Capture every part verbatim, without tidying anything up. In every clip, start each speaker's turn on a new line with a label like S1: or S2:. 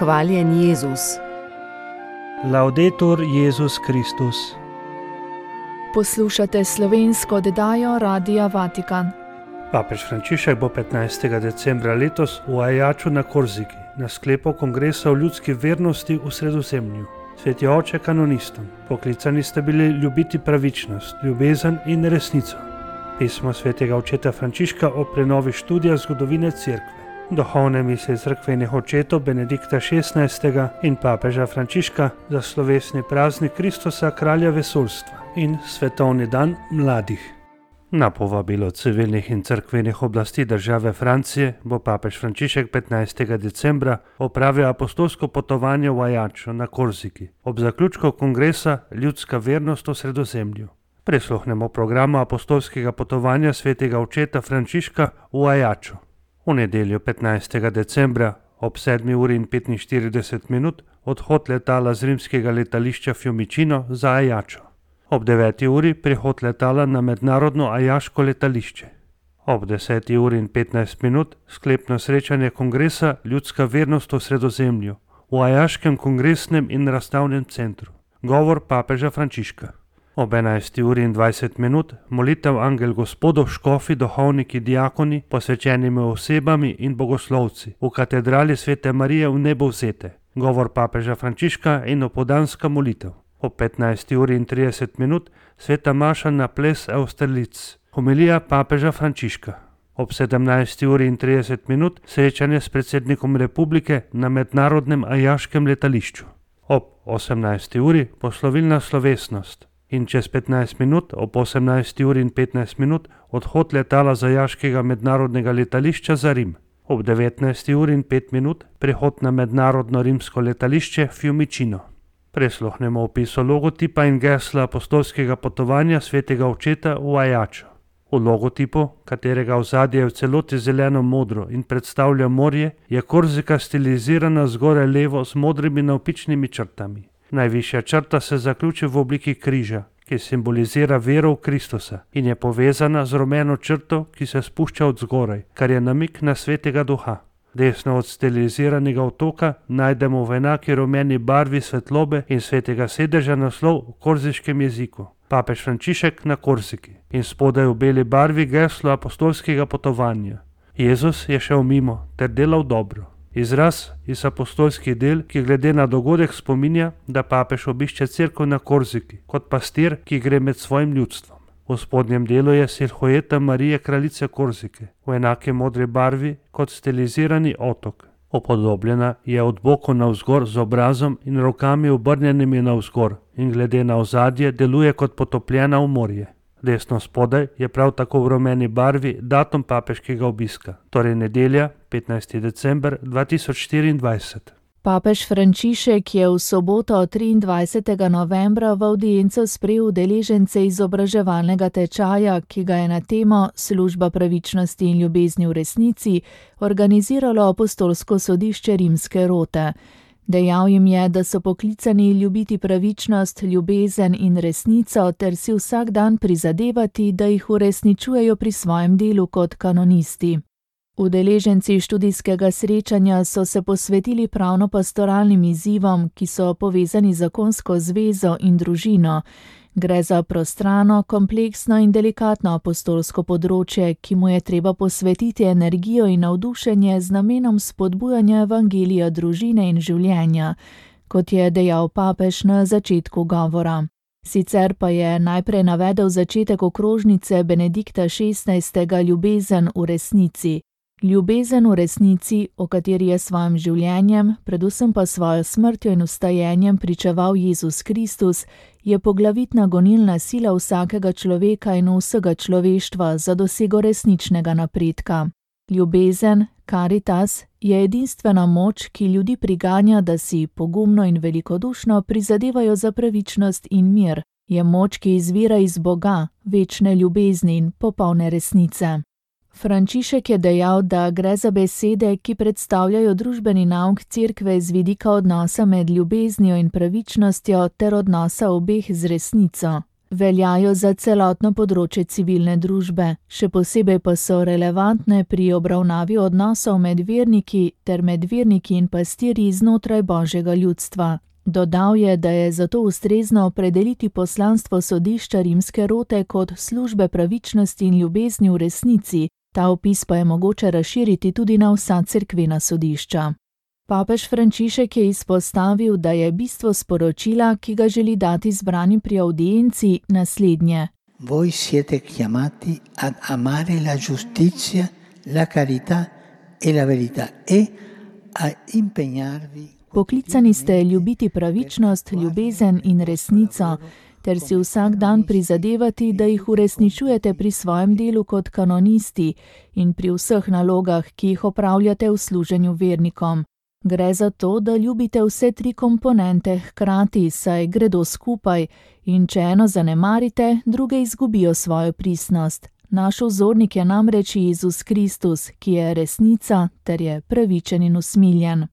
S1: Hvaljen Jezus.
S2: Laudetur Jezus Kristus.
S3: Poslušate slovensko oddajo Radia Vatikan.
S2: Papež Frančišek bo petnajstega decembra letos v Ajaču na Korziki na sklepu kongresa o ljudski vernosti v Sredozemlju. Sveti oče kanonistom, poklicani sta bili ljubiti pravičnost, ljubezen in resnico. Pismo svetega očeta Frančiška o prenovi študija zgodovine Cerkve. Duhovne misli cerkvenih očetov Benedikta šestnajstega in papeža Frančiška za slovesni praznik Kristusa, kralja vesoljstva in svetovni dan mladih. Na povabilo civilnih in cerkvenih oblasti države Francije bo papež Frančišek petnajstega decembra opravil apostolsko potovanje v Ajačo na Korziki ob zaključku kongresa Ljudska vernost v Sredozemlju. Prisluhnemo programu apostolskega potovanja svetega očeta Frančiška v Ajačo. V nedeljo petnajstega decembra ob sedmi uri in petinštirideset minut odhod letala z rimskega letališča Fiumicino za Ajačo. Ob deveti uri prihod letala na mednarodno ajaško letališče. Ob deseti uri in petnajst minut sklepno srečanje kongresa Ljudska vernost v Sredozemlju v Ajaškem kongresnem in razstavnem centru. Govor papeža Frančiška. Ob enajsti uri in dvajset minut molitev Angel Gospodov, škofi, duhovniki, diakoni, posvečenimi osebami in bogoslovci v katedrali Svete Marije v Nebovzete. Govor papeža Frančiška in opoldanska molitev. Ob petnajsti uri in trideset minut sveta maša na ples Austerlitz. Homilija papeža Frančiška. Ob sedemnajsti uri in trideset minut srečanje s predsednikom republike na mednarodnem ajaškem letališču. Ob osemnajsti uri poslovilna slovesnost. In čez petnajst minut, ob osemnajsti uri in petnajst minut, odhod letala z ajaškega mednarodnega letališča za Rim. Ob devetnajsti uri in pet minut prihod na mednarodno rimsko letališče Fiumicino. Prisluhnemo opisu logotipa in gesla apostolskega potovanja svetega očeta v Ajačo. V logotipu, katerega ozadje je v celoti zeleno-modro in predstavlja morje, je Korzika stilizirana zgoraj levo z modrimi navpičnimi črtami. Najvišja črta se zaključi v obliki križa, ki simbolizira vero v Kristusa in je povezana z rumeno črto, ki se spušča od zgoraj, kar je namik na svetega duha. Desno od stiliziranega otoka najdemo v enaki rumeni barvi svetlobe in svetega sedeža naslov v korziškem jeziku. Papež Frančišek na Korziki in spodaj v beli barvi geslo apostolskega potovanja. Jezus je šel mimo ter delal dobro. Izraz iz apostolskih del, ki glede na dogodek spominja, da papež obišče cerkev na Korziki, kot pastir, ki gre med svojim ljudstvom. V spodnjem delu je silhueta Marije kraljice Korzike, v enaki modri barvi kot stilizirani otok. Upodobljena je od boku navzgor z obrazom in rokami obrnjenimi navzgor in glede na ozadje deluje kot potopljena v morje. Desno spodaj je prav tako v rumeni barvi datum papeškega obiska, torej nedelja, petnajsti december dva tisoč štiriindvajset.
S3: Papež Frančišek je v soboto triindvajsetega novembra v avdienco sprejel udeležence izobraževalnega tečaja, ki ga je na temo Služba pravičnosti in ljubezni v resnici organiziralo apostolsko sodišče Rimske rote. Dejal jim je, da so poklicani ljubiti pravičnost, ljubezen in resnico ter si vsak dan prizadevati, da jih uresničujejo pri svojem delu kot kanonisti. Udeleženci študijskega srečanja so se posvetili pravno-pastoralnim izzivom, ki so povezani z zakonsko zvezo in družino. Gre za prostrano, kompleksno in delikatno apostolsko področje, ki mu je treba posvetiti energijo in navdušenje z namenom spodbujanja evangelija družine in življenja, kot je dejal papež na začetku govora. Sicer pa je najprej navedel začetek okrožnice Benedikta šestnajstega Ljubezen v resnici. Ljubezen v resnici, o kateri je svojim življenjem, predvsem pa svojo smrtjo in vstajenjem pričeval Jezus Kristus, je poglavitna gonilna sila vsakega človeka in vsega človeštva za dosego resničnega napredka. Ljubezen, caritas, je edinstvena moč, ki ljudi priganja, da si pogumno in velikodušno prizadevajo za pravičnost in mir. Je moč, ki izvira iz Boga, večne ljubezni in popolne resnice. Frančišek je dejal, da gre za besede, ki predstavljajo družbeni nauk cerkve z vidika odnosa med ljubeznijo in pravičnostjo ter odnosa obeh z resnico. Veljajo za celotno področje civilne družbe, še posebej pa so relevantne pri obravnavi odnosov med verniki ter med verniki in pastirji znotraj Božjega ljudstva. Dodal je, da je zato ustrezno opredeliti poslanstvo sodišča rimske rote kot službe pravičnosti in ljubezni v resnici, ta opis pa je mogoče razširiti tudi na vsa cerkvena sodišča. Papež Frančišek je izpostavil, da je bistvo sporočila, ki ga želi dati zbranim pri audienci, naslednje.
S1: Voi siete chiamati ad amare la giustizia, la carità e la verità e a impegnarvi.
S3: Poklicani ste ljubiti pravičnost, ljubezen in resnico, ter si vsak dan prizadevati, da jih uresničujete pri svojem delu kot kanonisti in pri vseh nalogah, ki jih opravljate v služenju vernikom. Gre za to, da ljubite vse tri komponente hkrati, saj gredo skupaj, in če eno zanemarite, druge izgubijo svojo pristnost. Naš vzornik je namreč Jezus Kristus, ki je resnica ter je pravičen in usmiljen.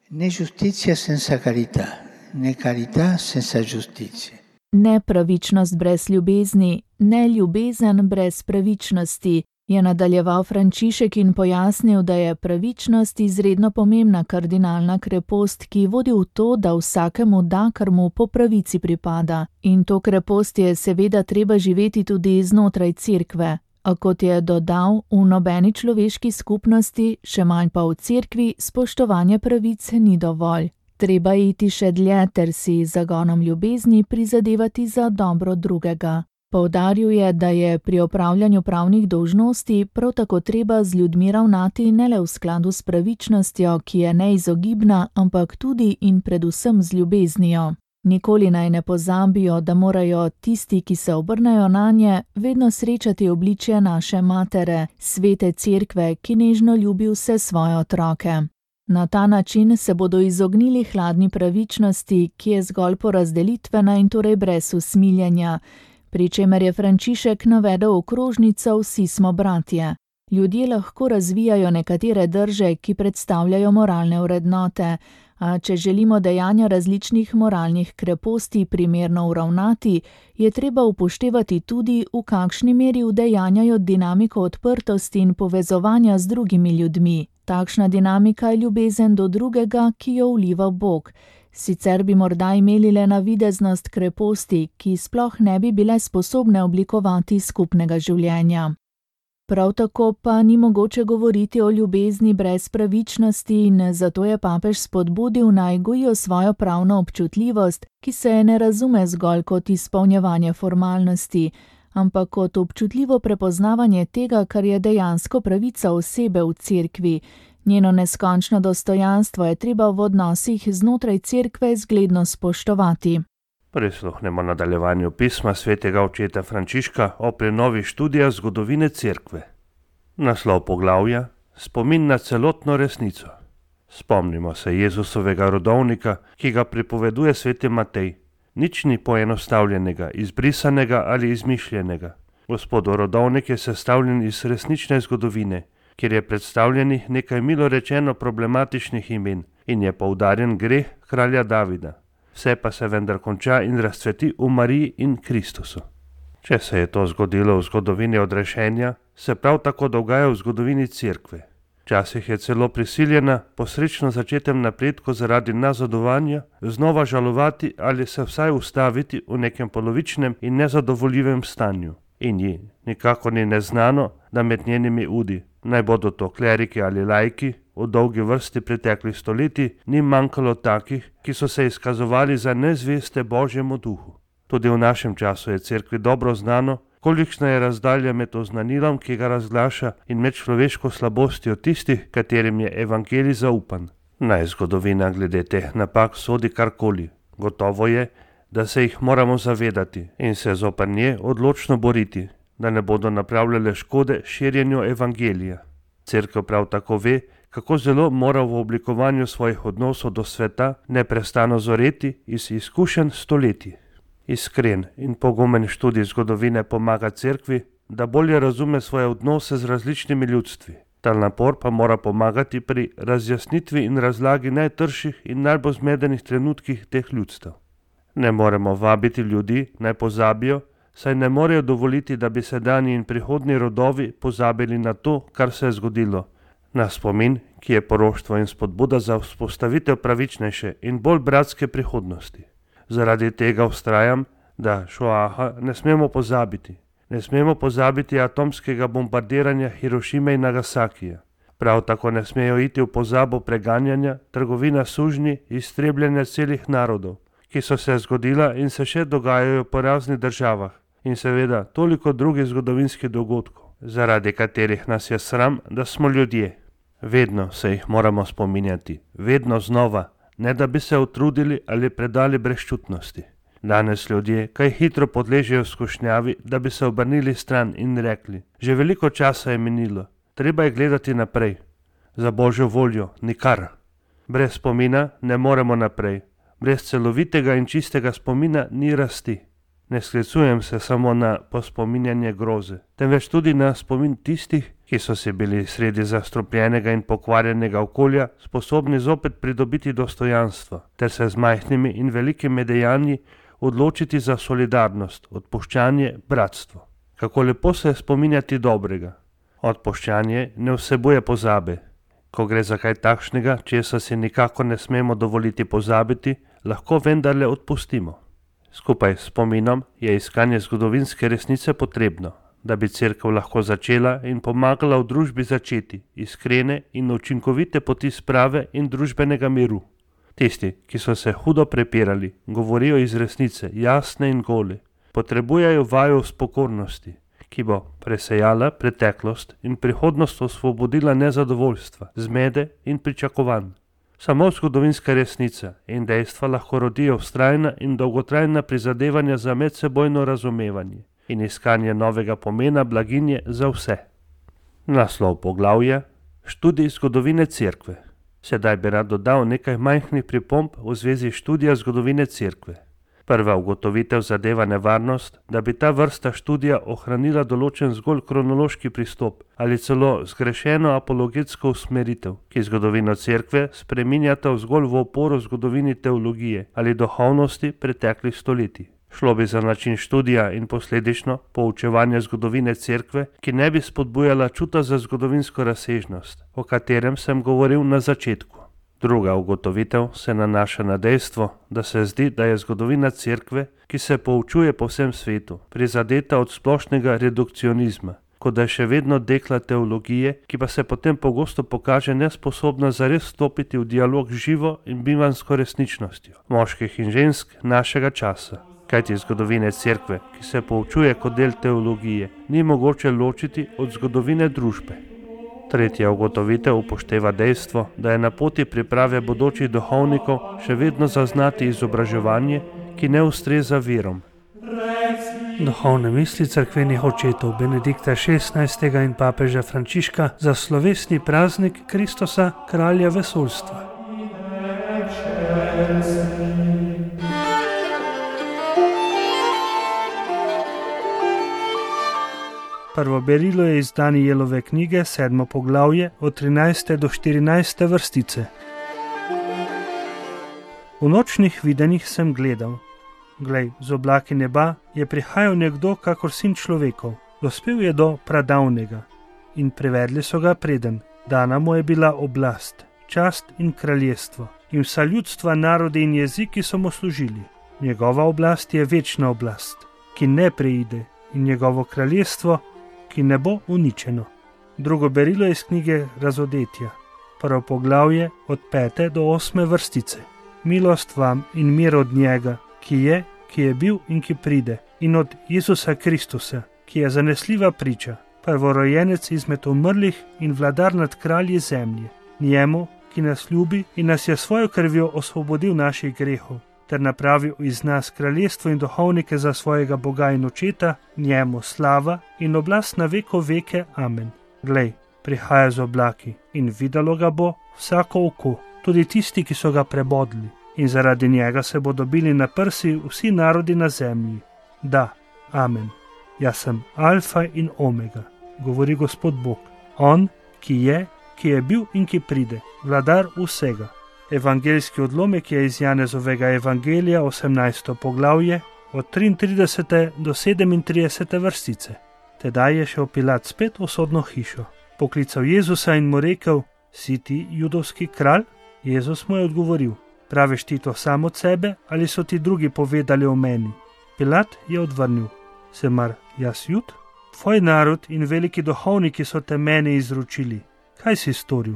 S1: Ne giustizia senza carità, ne carità senza giustizia.
S3: Ne pravičnost brez ljubezni, ne ljubezen brez pravičnosti, je nadaljeval Frančišek in pojasnil, da je pravičnost izredno pomembna kardinalna krepost, ki vodi v to, da vsakemu da, kar mu po pravici pripada. In to krepost je seveda treba živeti tudi znotraj cerkve. A kot je dodal, v nobeni človeški skupnosti, še manj pa v cerkvi, spoštovanje pravic ni dovolj. Treba iti še dlje ter si zagonom ljubezni prizadevati za dobro drugega. Poudaril je, da je pri opravljanju pravnih dolžnosti prav tako treba z ljudmi ravnati ne le v skladu s pravičnostjo, ki je neizogibna, ampak tudi in predvsem z ljubeznijo. Nikoli naj ne pozabijo, da morajo tisti, ki se obrnejo nanje, vedno srečati obličje naše matere, svete cerkve, ki nežno ljubi vse svoje otroke. Na ta način se bodo izognili hladni pravičnosti, ki je zgolj porazdelitvena in torej brez usmiljenja, pri čemer je Frančišek navedel okrožnico Vsi smo bratje. Ljudje lahko razvijajo nekatere drže, ki predstavljajo moralne vrednote, a če želimo dejanja različnih moralnih kreposti primerno uravnati, je treba upoštevati tudi, v kakšni meri udejanjajo dinamiko odprtosti in povezovanja z drugimi ljudmi. Takšna dinamika je ljubezen do drugega, ki jo vliva Bog. Sicer bi morda imeli le navideznost kreposti, ki sploh ne bi bile sposobne oblikovati skupnega življenja. Prav tako pa ni mogoče govoriti o ljubezni brez pravičnosti in zato je papež spodbudil naj gojijo svojo pravno občutljivost, ki se ne razume zgolj kot izpolnjevanje formalnosti, ampak kot občutljivo prepoznavanje tega, kar je dejansko pravica osebe v cerkvi. Njeno neskončno dostojanstvo je treba v odnosih znotraj cerkve zgledno spoštovati.
S2: Prisluhnemo nadaljevanju pisma svetega očeta Frančiška o prenovi študija zgodovine cerkve. Naslov poglavja: Spomin na celotno resnico. Spomnimo se Jezusovega rodovnika, ki ga pripoveduje sveti Matej. Nič ni poenostavljenega, izbrisanega ali izmišljenega. Gospodov rodovnik je sestavljen iz resnične zgodovine, kjer je predstavljenih nekaj milo rečeno problematičnih imen in je poudarjen greh kralja Davida. Vse pa se vendar konča in razcveti v Mariji in Kristusu. Če se je to zgodilo v zgodovini odrešenja, se prav tako dogaja v zgodovini cerkve. Včasih je celo prisiljena po srečno začetem napredku zaradi nazadovanja znova žalovati ali se vsaj ustaviti v nekem polovičnem in nezadovoljivem stanju. In ji nikakor ni neznano, da med njenimi udi, naj bodo to kleriki ali laiki, v dolgi vrsti preteklih stoletij ni manjkalo takih, ki so se izkazovali za nezveste Božjemu duhu. Tudi v našem času je cerkvi dobro znano, kolikšna je razdalja med oznanilom, ki ga razglaša, in med človeško slabostjo tistih, katerim je evangelij zaupan. Naj zgodovina glede teh napak sodi karkoli. Gotovo je, da se jih moramo zavedati in se zoper nje odločno boriti, da ne bodo napravljale škode širjenju evangelija. Cerkev prav tako ve, kako zelo mora v oblikovanju svojih odnosov do sveta neprestano zoreti iz izkušenj stoletij. Iskren in pogumen študij zgodovine pomaga cerkvi, da bolje razume svoje odnose z različnimi ljudstvi. Ta napor pa mora pomagati pri razjasnitvi in razlagi najtrših in najbolj zmedenih trenutkih teh ljudstev. Ne moremo vabiti ljudi, naj pozabijo, saj ne morejo dovoliti, da bi sedanji in prihodnji rodovi pozabili na to, kar se je zgodilo. Na spomin, ki je poroštvo in spodbuda za vzpostavitev pravičnejše in bolj bratske prihodnosti. Zaradi tega vztrajam, da Šoaha ne smemo pozabiti. Ne smemo pozabiti atomskega bombardiranja Hirošime in Nagasakija. Prav tako ne smejo iti v pozabo preganjanja, trgovina sužnji, iztrebljanja celih narodov, ki so se zgodila in se še dogajajo po raznih državah, in seveda toliko drugih zgodovinskih dogodkov, zaradi katerih nas je sram, da smo ljudje. Vedno se jih moramo spominjati, vedno znova, ne da bi se utrudili ali predali brezčutnosti. Danes ljudje kaj hitro podležejo skušnjavi, da bi se obrnili stran in rekli: že veliko časa je minilo, treba je gledati naprej. Za Božjo voljo nikar. Brez spomina ne moremo naprej. Brez celovitega in čistega spomina ni rasti. Ne sklicujem se samo na pospominjanje groze, temveč tudi na spomin tistih, ki so si bili sredi zastrupljenega in pokvarjenega okolja sposobni zopet pridobiti dostojanstvo, ter se z majhnimi in velikimi dejanji odločiti za solidarnost, odpuščanje, bratstvo. Kako lepo se je spominjati dobrega. Odpuščanje ne vsebuje pozabe. Ko gre za kaj takšnega, česa si nikako ne smemo dovoliti pozabiti, lahko vendarle odpustimo. Skupaj s spominom je iskanje zgodovinske resnice potrebno, da bi cerkev lahko začela in pomagala v družbi začeti iskrene in učinkovite poti sprave in družbenega miru. Tisti, ki so se hudo prepirali, govorijo iz resnice, jasne in gole, potrebujejo vajo spokornosti, ki bo presejala preteklost in prihodnost osvobodila nezadovoljstva, zmede in pričakovanj. Samo zgodovinska resnica in dejstva lahko rodijo vztrajna in dolgotrajna prizadevanja za medsebojno razumevanje in iskanje novega pomena blaginje za vse. Naslov poglavja: Študij zgodovine cerkve. Sedaj bi rad dodal nekaj majhnih pripomb v zvezi študija zgodovine cerkve. Prva ugotovitev zadeva nevarnost, da bi ta vrsta študija ohranila določen zgolj kronološki pristop ali celo zgrešeno apologetsko usmeritev, ki zgodovino cerkve spreminjata zgolj v oporo zgodovini teologije ali duhovnosti preteklih stoletij. Šlo bi za način študija in posledično poučevanja zgodovine cerkve, ki ne bi spodbujala čuta za zgodovinsko razsežnost, o katerem sem govoril na začetku. Druga ugotovitev se nanaša na dejstvo, da se zdi, da je zgodovina cerkve, ki se poučuje po vsem svetu, prizadeta od splošnega redukcionizma, kot da je še vedno dekla teologije, ki pa se potem pogosto pokaže nesposobna zares stopiti v dialog z živo in bivansko resničnostjo moških in žensk našega časa. Kajti zgodovine cerkve, ki se poučuje kot del teologije, ni mogoče ločiti od zgodovine družbe. Tretja ugotovitev upošteva dejstvo, da je na poti priprave bodočih duhovnikov še vedno zaznati izobraževanje, ki ne ustreza verom. Duhovne misli cerkvenih očetov Benedikta šestnajstega in papeža Frančiška za slovesni praznik Kristusa, kralja vesoljstva. Prvo berilo je iz Danijelove knjige, sedmo poglavje, od trinajste do štirinajste vrstice. V nočnih videnjih sem gledal. Glej, z oblaki neba je prihajal nekdo kakor sin človekov. Dospel je do pradavnega in privedli so ga preden. Dana mu je bila oblast, čast in kraljestvo in vsa ljudstva, narodi in jeziki so mu služili. Njegova oblast je večna oblast, ki ne preide, in njegovo kraljestvo, ki ne bo uničeno. Drugo berilo iz knjige Razodetja, prvo poglavje od pete do osme vrstice. Milost vam in mir od njega, ki je, ki je bil in ki pride, in od Jezusa Kristusa, ki je zanesljiva priča, prvorojenec izmed umrlih in vladar nad kralji zemlje. Njemu, ki nas ljubi in nas je svojo krvjo osvobodil naših grehov, ter napravil iz nas kraljestvo in duhovnike za svojega Boga in očeta, njemu slava in oblast na veko veke. Amen. Glej, prihaja z oblaki in videlo ga bo vsako oko, tudi tisti, ki so ga prebodli, in zaradi njega se bodo bili na prsi vsi narodi na zemlji. Da, amen. Jaz sem alfa in omega, govori Gospod Bog, on, ki je, ki je bil in ki pride, vladar vsega. Evangeljski odlomek je iz Janezovega evangelija, osemnajsto poglavje, od triintridesete do sedemintridesete vrstice. Tedaj je šel Pilat spet v sodno hišo. Poklical Jezusa in mu rekel: Si ti judovski kralj? Jezus mu je odgovoril: Praviš ti to sam od sebe ali so ti drugi povedali o meni? Pilat je odvrnil: Se mar jaz Jud? Tvoj narod in veliki duhovniki so te meni izročili. Kaj si storil?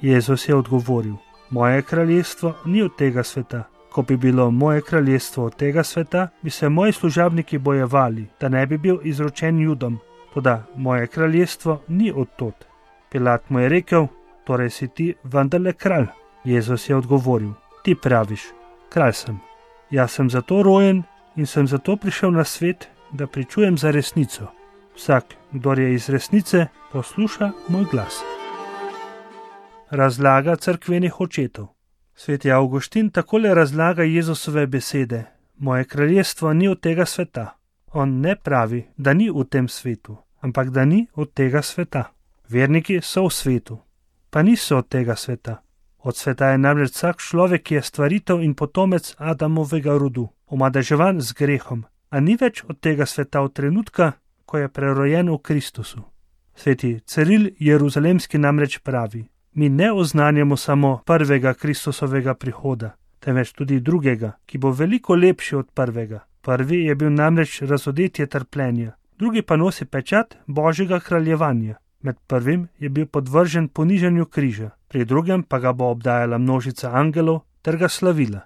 S2: Jezus je odgovoril: Moje kraljestvo ni od tega sveta. Ko bi bilo moje kraljestvo od tega sveta, bi se moji služabniki bojevali, da ne bi bil izročen Judom. Toda moje kraljestvo ni od tod. Pilat mu je rekel: Torej si ti vendarle kralj? Jezus je odgovoril: Ti praviš, kralj sem. Jaz sem zato rojen in sem zato prišel na svet, da pričujem za resnico. Vsak, kdor je iz resnice, posluša moj glas. Razlaga cerkvenih očetov. Sveti Avguštin takole razlaga Jezusove besede: Moje kraljestvo ni od tega sveta. On ne pravi, da ni v tem svetu, ampak da ni od tega sveta. Verniki so v svetu, pa niso od tega sveta. Od sveta je namreč vsak človek, ki je stvaritev in potomec Adamovega rodu, omadeževan z grehom, a ni več od tega sveta od trenutka, ko je prerojen v Kristusu. Sveti Ciril Jeruzalemski namreč pravi: Mi ne oznanjamo samo prvega Kristusovega prihoda, temveč tudi drugega, ki bo veliko lepši od prvega. Prvi je bil namreč razodetje trpljenja, drugi pa nosi pečat Božjega kraljevanja. Med prvim je bil podvržen ponižanju križa, pri drugem pa ga bo obdajala množica angelov ter ga slavila.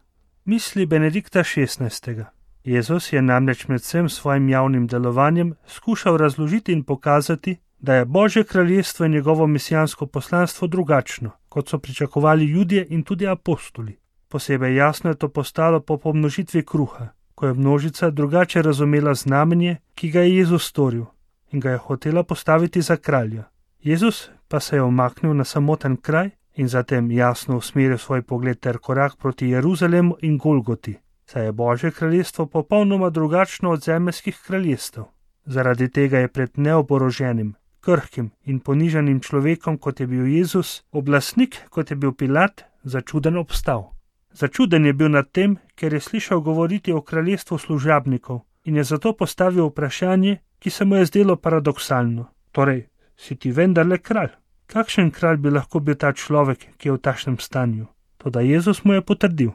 S2: Misli Benedikta šestnajstega. Jezus je namreč med vsem svojim javnim delovanjem skušal razložiti in pokazati, da je Božje kraljestvo in njegovo mesijansko poslanstvo drugačno, kot so pričakovali Judje in tudi apostoli. Posebej jasno je to postalo po pomnožitvi kruha, ko je množica drugače razumela znamenje, ki ga je Jezus storil, in ga je hotela postaviti za kralja. Jezus pa se je umaknil na samoten kraj in zatem jasno usmeril svoj pogled ter korak proti Jeruzalemu in Golgoti, saj je Božje kraljestvo popolnoma drugačno od zemeljskih kraljestev. Zaradi tega je pred neoboroženim, krhkim in ponižanim človekom, kot je bil Jezus, oblastnik, kot je bil Pilat, začuden obstal. Začuden je bil nad tem, ker je slišal govoriti o kraljestvu služabnikov in je zato postavil vprašanje, ki se mu je zdelo paradoksalno. Torej, si ti vendarle kralj? Kakšen kralj bi lahko bil ta človek, ki je v takšnem stanju? Toda Jezus mu je potrdil: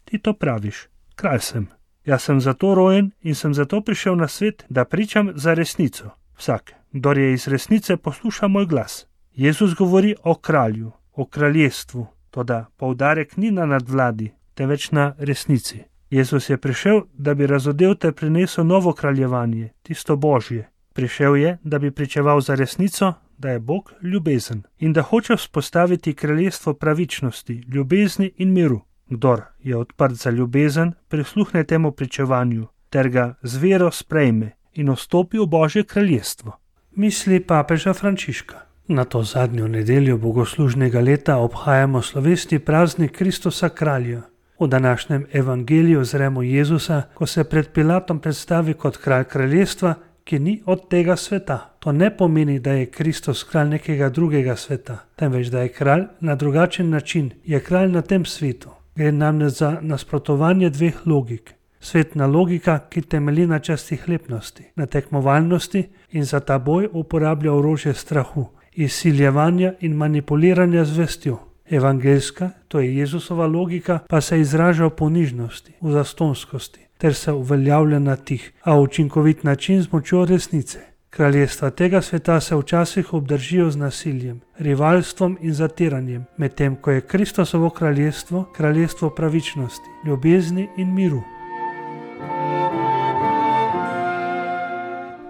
S2: Ti to praviš, kralj sem. Jaz sem zato rojen in sem zato prišel na svet, da pričam za resnico. Vsak, kdor je iz resnice, posluša moj glas. Jezus govori o kralju, o kraljestvu, toda poudarek ni na nadvladi, temveč na resnici. Jezus je prišel, da bi razodel ter prinesel novo kraljevanje, tisto Božje. Prišel je, da bi pričeval za resnico, da je Bog ljubezen in da hoče vzpostaviti kraljestvo pravičnosti, ljubezni in miru. Kdor je odprt za ljubezen, prisluhne temu pričevanju ter ga z vero sprejme in vstopi v Božje kraljestvo. Misli papeža Frančiška. Na to zadnjo nedeljo bogoslužnega leta obhajamo slovesni praznik Kristusa kralja. V današnjem evangeliju zremo Jezusa, ko se pred Pilatom predstavi kot kralj kraljestva, ki ni od tega sveta. To ne pomeni, da je Kristus kralj nekega drugega sveta, temveč da je kralj na drugačen način, je kralj na tem svetu. Gre namreč za nasprotovanje dveh logik. Svetna logika, ki temelji na častihlepnosti, na tekmovalnosti in za ta boj uporablja orožje strahu, izsiljevanja in manipuliranja z vestjo. Evangeljska, to je Jezusova logika, pa se izraža v ponižnosti, v zastonskosti, ter se uveljavlja na tih, a učinkovit način z močjo resnice. Kraljestva tega sveta se včasih obdržijo z nasiljem, rivalstvom in zatiranjem, medtem ko je Kristusovo kraljestvo kraljestvo pravičnosti, ljubezni in miru.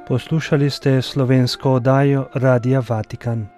S1: Poslušali ste slovensko oddajo Radia Vatikan.